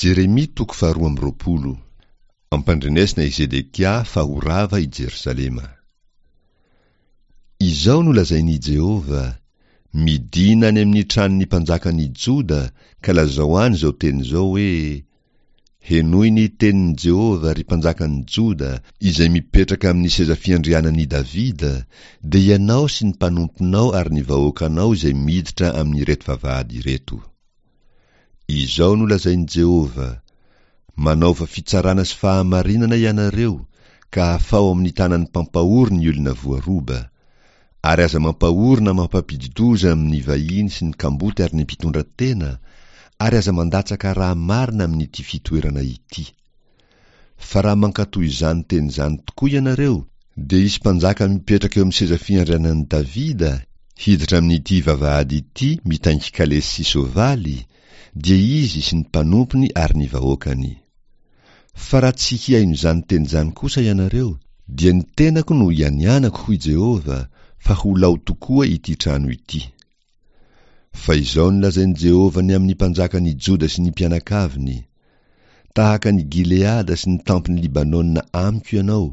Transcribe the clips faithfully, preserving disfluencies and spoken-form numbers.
Jeremia toko faharoa amby roapolo. Ampandrenesina i Zedekia fa ho rava i Jerosalema. Izao no lazain'i Jehovah: Midina any amin'ny tranon'ny mpanjakan'i Joda ka lazao any izao teny izao hoe: Henoy ny tenin'i Jehovah, ry mpanjakan'i Joda, izay mipetraka amin'ny seza fiandrianan'i Davida, dia ianao sy ny mpanomponao ary ny vahoakanao izay miditra amin'ireto vavahady ireto. Izao no lazain'i Jehovah: Manaova fitsarana sy fahamarinana ianareo, ka afaho amin'ny tanan'ny mpampahory ny olona voaroba. Ary aza mampahory na mampampidi-doza amin'ny vahiny sy ny kamboty ary ny mpitondra tena, ary aza mandatsaka rà marina amin'ity fitoerana ity. Fa raha mankatò izany teny izany tokoa ianareo, dia hisy mpanjaka mipetraka eo amin'ny seza fiandrianan'i Davida hiditra amin'ity vavahady ity mitaingin-kalesy sy soavaly, dia izy sy ny mpanompony ary ny vahoakany. Fa raha tsy hihaino izany teny izany kosa ianareo, dia ny tenako no ianianako, hoy Jehovah, fa ho lao tokoa ity trano ity. Fa izao no lazain'i Jehovah ny amin'ny mpanjakan'i Joda sy ny mpianakaviny: Tahaka an'i Gileada sy ny tampon'i Libanona amiko ianao,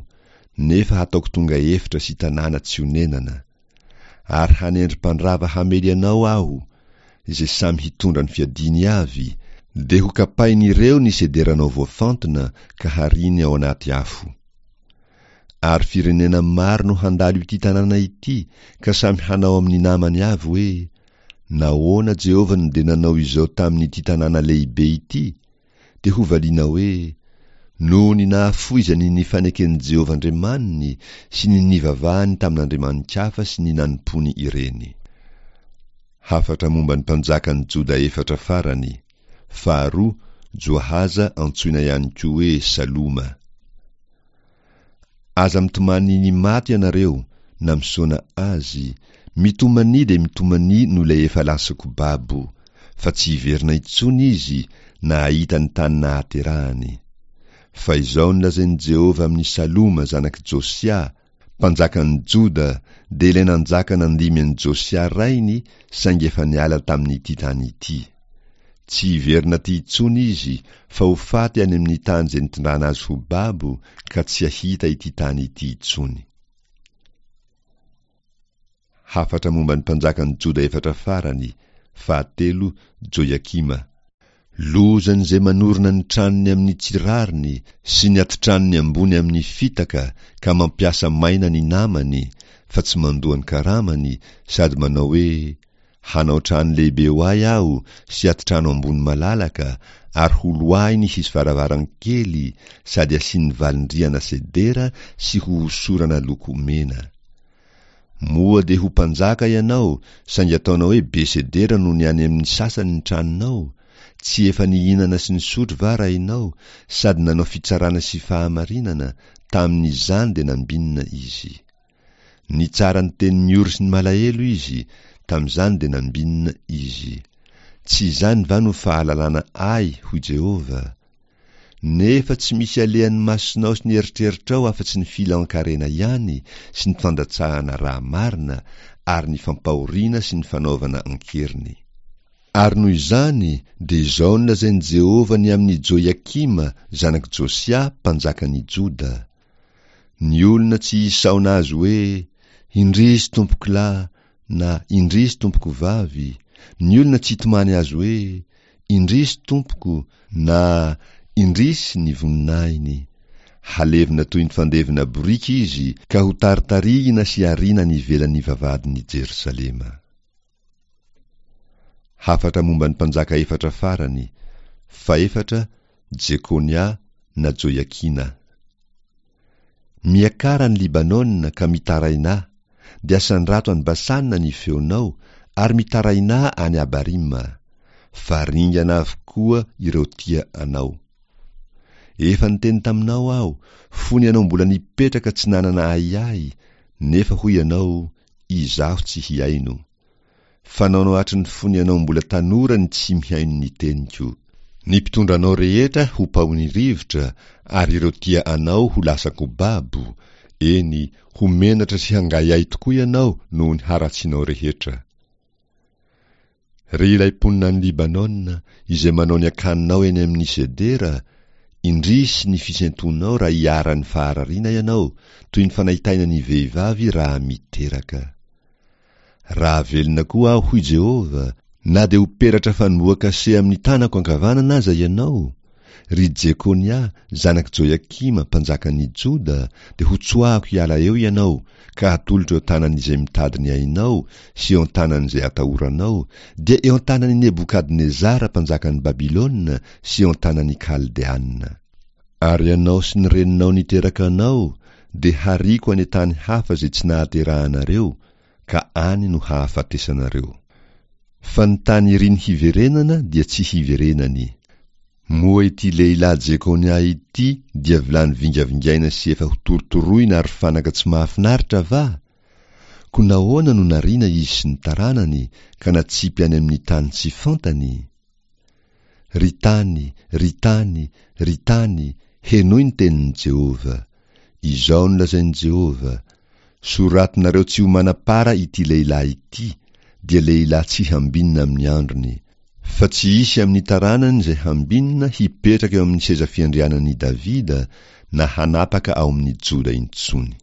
nefa hataoko tonga efitra sy tanàna tsy onenana. Ary hanendry mpandrava hamely anao Aho, izay samy hitondra ny fiadiany avy, dia ho kapain'ireo ny sederanao voafantina ka hariany ao anaty afo. Ary firenena maro no handalo ity tanàna ity ka samy hanao amin'ny namany avy hoe: Nahoana Jehovah no dia nanao izao tamin'ity tanàna lehibe ity? Dia hovaliana hoe: Noho ny nahafoizany ny faneken'i Jehovah Andriamaniny sy ny nivavahany tamin'andriamani-kafa sy ny nanompoany ireny. Hafatra momba ny mpanjakan'i Joda efatra farany. Faharoa, Joahaza antsoina ihany koa hoe Saloma. Aza mitomany ny maty ianareo na misaona azy, mitomania dia mitomania noho ilay efa lasako babo, fa tsy hiverina intsony izy na hahita ny tany nahaterahany. Fa izao no lazain'i Jehovah amin'i Saloma zanak'i Josia, mpanjakan'i Joda, dia ilay nanjaka nandimy an'i Josia rainy saingy efa niala tamin'ity tany ity. Tsy hiverina aty intsony izy fa ho faty any amin'ny tany izay nitondrana azy ho babo ka tsy hahita ity tany ity intsony. Hafatra momba ny mpanjakan'i Joda efatra farany, fahatelo, Joiakima. Lozan'izay manorina ny tranony amin'ny tsy rariny sy ny atitranony ambony amin'ny fitaka ka mampiasa maina ny namany fa tsy mandoa ny karamany sady manao hoe: Hanao trano lehibe ho ahy aho sy atitrano ambony malalaka ary holoahiny hisy varavarankely sady asiany valindrihana sedera sy hohosorana loko mena. Moa dia ho mpanjaka ianao saingy ataonao hoe be sedera noho ny any amin'ny sasany ny tranonao? Tsy efa nihinana sy nisotro va rainao sady nanao fitsarana sy fahamarinana? Tamin'izany dia nambinina izy. Nitsara ny tenin'ny ory sy ny malahelo izy, tamin'izany dia nambinina izy. Tsy izany va no fahalalana ahy, hoy Jehovah? Nefa tsy misy alehan'ny masonao sy ny eritreritrao afa-tsy ny filan-karena ihany sy ny fandatsahana rà marina ary ny fampahoriana sy ny fanaovana an-keriny. Ary noho izany dia izao no lazain'i Jehovah ny amin'i Joiakima zanak'i Josia mpanjakan'i Joda: Ny olona tsy hisaona azy hoe, Indrisy tompokolahy na Indrisy tompokovavy, ny olona tsy hitomany azy hoe, Indrisy tompoko na Indrisy ny voninahiny. Halevina toy ny fandevina boriky izy ka hotaritarihina sy hariana any ivelan'ny vavahadin'i Jerosalema. Hafatra momba ny mpanjaka efatra farany, fahefatra, Jekonia na Joiakina. Miakara any Libanona ka mitarainà, dia asandrato any Basana ny feonao ary mitarainà any Abarima, fa ringana avokoa ireo tia anao. Efa niteny taminao aho, fony ianao mbola nipetraka tsy nanana ahiahy, nefa hoy ianao, Izaho tsy hihaino. Fanaonao hatry ny fony ianao mbola tanora ny tsy mihaino ny teniko. Ny mpitondra anao rehetra ho paohin'ny rivotra ary ireo tia anao ho lasan-ko babo, eny, ho menatra sy hangahiahy tokoa ianao noho ny haratsianao rehetra. Ry ilay mponina any Libanona, izay manao ny akaninao eny amin'ny sedera, indrisy ny fisentoanao raha iharan'ny faharariana ianao, toy ny fanaintainan'ny vehivavy raha miteraka. Raha velona koa aho, hoy Jehovah, na dia ho peratra fanombohan-kase amin'ny tanako ankavanana aza ianao, ry Jekonia, zanak'i Joiakima, mpanjakan'ny Joda, dia hotsoahako hiala eo ianao, ka hatolotro eo an-tanan'izay mitady ny ainao sy eo an-tanan'izay atahoranao, dia eo an-tanan'i Nebokadnezara mpanjakan'i Babylona sy eo an-tanan'ny Kaldeana. Ary ianao sy ny reninao niteraka anao dia hariako any an-tany hafa izay tsy nahaterahanareo, ka any no hahafatesanareo. Fa ny tany iriny hiverenana dia tsy hiverenany. Moa ity lehilahy Jekonia ity dia vilany vingavingaina sy efa hotorotoroina ary fanaka tsy mahafinaritra va? Koa nahoana no nariana izy sy ny taranany ka natsipy any amin'ny tany tsy fantany? Ry tany, ry tany, ry tany, henoy ny tenin'i Jehovah. Izao no lazain'i Jehovah, Soratinareo tsy ho manam-para ity lehilahy ity, dia lehilahy tsy hambinina amin'ny androny. Fa tsy hisy amin'ny taranany izay hambinina hipetraka eo amin'ny seza fiandrianan'i Davida na hanapaka ao amin'ny Joda intsony.